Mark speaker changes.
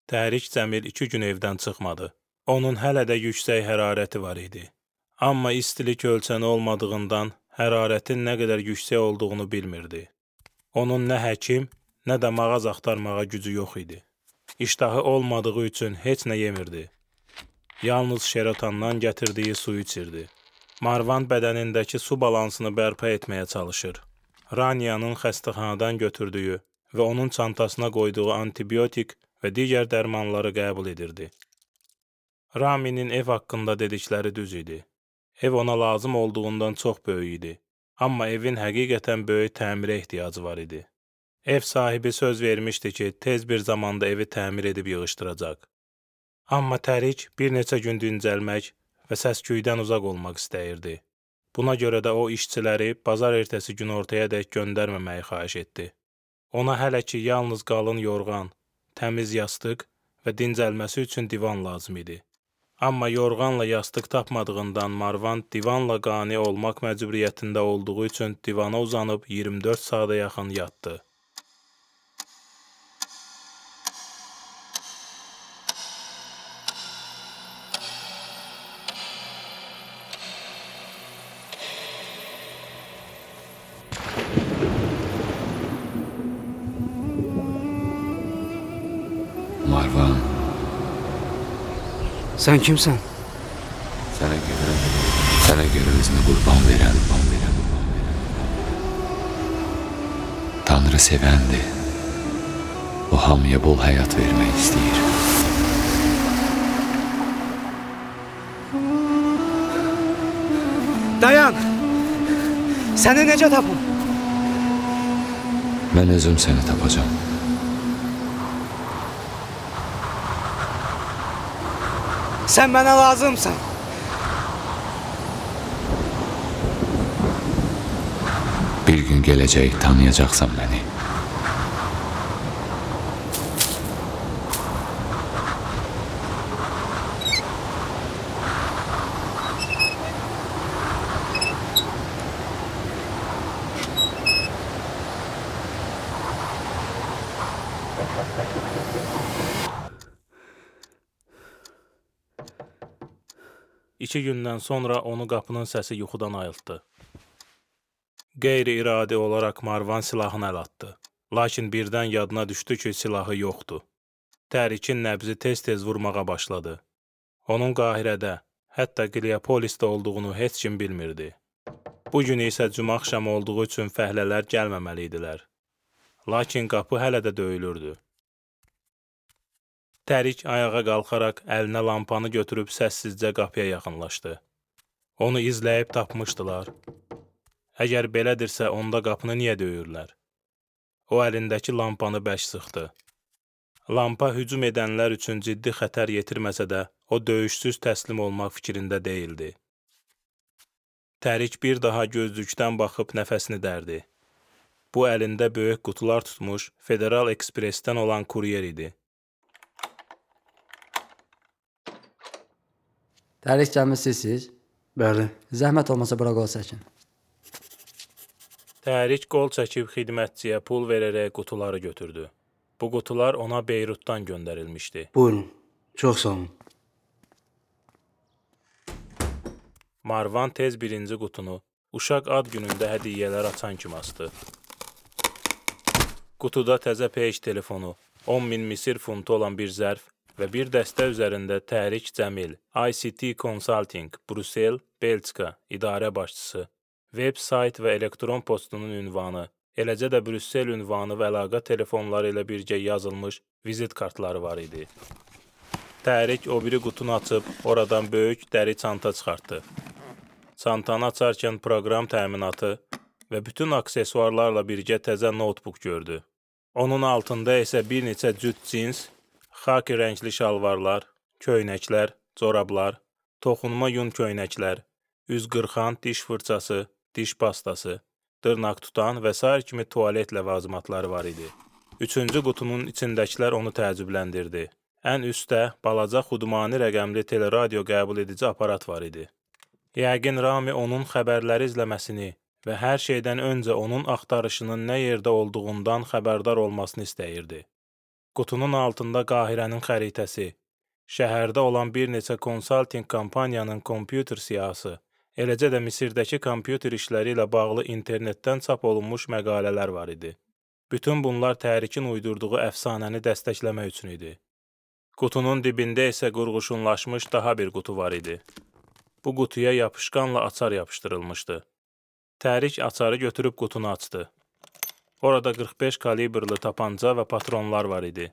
Speaker 1: Tərik Cəmil 2 gün evdən çıxmadı. Onun hələ də yüksək hərarəti var idi. Amma istilik ölçəni olmadığından hərarətin nə qədər yüksək olduğunu bilmirdi. Onun nə həkim, nə də mağaz axtarmağa gücü yox idi. İştahı olmadığı üçün heç nə yemirdi. Yalnız şerotandan gətirdiyi su içirdi. Marvan bədənindəki su balansını bərpa etməyə çalışır. Raniyanın xəstəxanadan götürdüyü və onun çantasına qoyduğu antibiotik və digər dərmanları qəbul edirdi. Raminin ev haqqında dedikləri düz idi. Ev ona lazım olduğundan çox böyük idi. Amma evin həqiqətən böyük təmirə ehtiyacı var idi. Ev sahibi söz vermişdi ki, tez bir zamanda evi təmir edib yığışdıracaq. Amma Tərik bir neçə gün dincəlmək və səsküydən uzaq olmaq istəyirdi. Buna görə də o işçiləri bazar ertəsi gün ortayadək göndərməməyi xahiş etdi. Ona hələ ki yalnız qalın yorğan, təmiz yastıq və dincəlməsi üçün divan lazım idi. Amma yorğanla yastıq tapmadığından Marvan divanla qane olmaq məcburiyyətində olduğu üçün divana uzanıb 24 saata yaxın yatdı.
Speaker 2: Marvan,
Speaker 3: Sən kimsən?
Speaker 2: sənə görə özünü qurban verən. Tanrı sevəndir. O hamıya bol həyat vermək istəyir.
Speaker 3: Dayan! Səni necə tapım?
Speaker 2: Mən özüm səni tapacağam.
Speaker 3: Sən mənə lazımsan.
Speaker 2: Bir gün gələcək, tanıyacaqsan məni.
Speaker 1: İki gündən sonra onu qapının səsi yuxudan ayıltdı. Qeyri-iradi olaraq Marvan silahını əl atdı. Lakin birdən yadına düşdü ki, silahı yoxdur. Tərikin nəbzi tez-tez vurmağa başladı. Onun Qahirədə, hətta Qliapolisdə olduğunu heç kim bilmirdi. Bu gün isə cümə axşamı olduğu üçün fəhlələr gəlməməli idilər. Lakin qapı hələ də döyülürdü. Tərik ayağa qalxaraq əlinə lampanı götürüb səssizcə qapıya yaxınlaşdı. Onu izləyib tapmışdılar. Əgər belədirsə, onda qapını niyə döyürlər? O əlindəki lampanı bərk sıxdı. Lampa hücum edənlər üçün ciddi xətər yetirməsə də, o döyüşsüz təslim olmaq fikrində deyildi. Tərik bir daha gözlükdən baxıb nəfəsini dərdi. Bu əlində böyük qutular tutmuş Federal Ekspresdən olan kuryer idi.
Speaker 4: Tərik gəlmisiniz?
Speaker 3: Bəli.
Speaker 4: Zəhmət olmasa bura qol çəkin.
Speaker 1: Tərik qol çəkib xidmətçiyə pul verərək qutuları götürdü. Bu qutular ona Beyrutdan göndərilmişdi.
Speaker 3: Buyurun. Çox sağ olun.
Speaker 1: Marvan tez birinci qutunu uşaq ad günündə hədiyyələr açan kimi açdı. Qutuda təzə peyk telefonu, 10.000 Misir funtu olan bir zərf və bir dəstə üzərində Tərik Cəmil, ICT Consulting, Brüssel, Belçika, idarə başçısı, web sayt və elektron postunun ünvanı, eləcə də Brüssel ünvanı və əlaqə telefonları ilə birgə yazılmış vizit kartları var idi. Tərik o biri qutunu açıb, oradan böyük dəri çanta çıxartdı. Çantanı açarkən proqram təminatı və bütün aksesuarlarla birgə təzə notebook gördü. Onun altında isə bir neçə cüt cins, xaki rəngli şalvarlar, köynəklər, corablar, toxunma yun köynəklər, üz qırxan diş fırçası, diş pastası, dırnaq tutan və sair kimi tualet ləvazimatları var idi. Üçüncü qutunun içindəkilər onu təəccübləndirdi. Ən üstdə balaca xudmani rəqəmli teleradio qəbul edici aparat var idi. Yəqin Rami onun xəbərləri izləməsini və hər şeydən öncə onun axtarışının nə yerdə olduğundan xəbərdar olmasını istəyirdi. Qutunun altında Qahirənin xəritəsi, şəhərdə olan bir neçə konsaltinq kampaniyanın kompüter siyahısı, eləcə də Misirdəki kompüter işləri ilə bağlı internetdən çap olunmuş məqalələr var idi. Bütün bunlar Tərikin uydurduğu əfsanəni dəstəkləmək üçün idi. Qutunun dibində isə qurğuşunlaşmış daha bir qutu var idi. Bu qutuya yapışqanla açar yapışdırılmışdı. Tərik açarı götürüb qutunu açdı. Orada 45 kalibrli tapanca və patronlar var idi.